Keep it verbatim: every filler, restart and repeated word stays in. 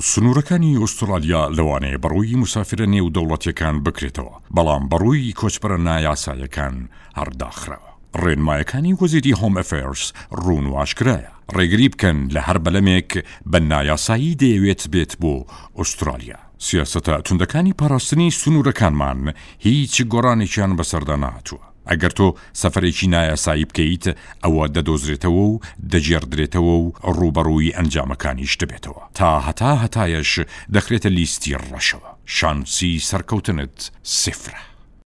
سنوورەکانی ئوسترالیا لەوانەیە بەڕووی موسافرە نێودەوڵەتیەکان بکرێتەوە، بەڵام بەڕووی کۆچبەرە نایاسایەکان هەر داخراوە. ڕێنمایەکانی وەزیری Home Affairs ڕوون و ئاشکرایە، ڕێگری بکەن لە هەر بەلەمێک بە نایاسایی دەیەوێت بێت بۆ ئوسترالیا. سیاسەتە توندەکانی پاراستنی سنوورەکانمان هیچ گۆڕانێکیان بەسەردا نەهاتووە. ئەگەر تۆ سەفەرێکی نایاسایی بکەیت، ئەوە دەدۆزرێتەوە و دەگێڕدرێتەوە و ڕووبەڕووی ئەنجامەکانیش دەبێتەوە. تا هەتا هەتایەش دەخرێتە لیستی ڕەشەوە. شانسی سەرکەوتنت سفرە.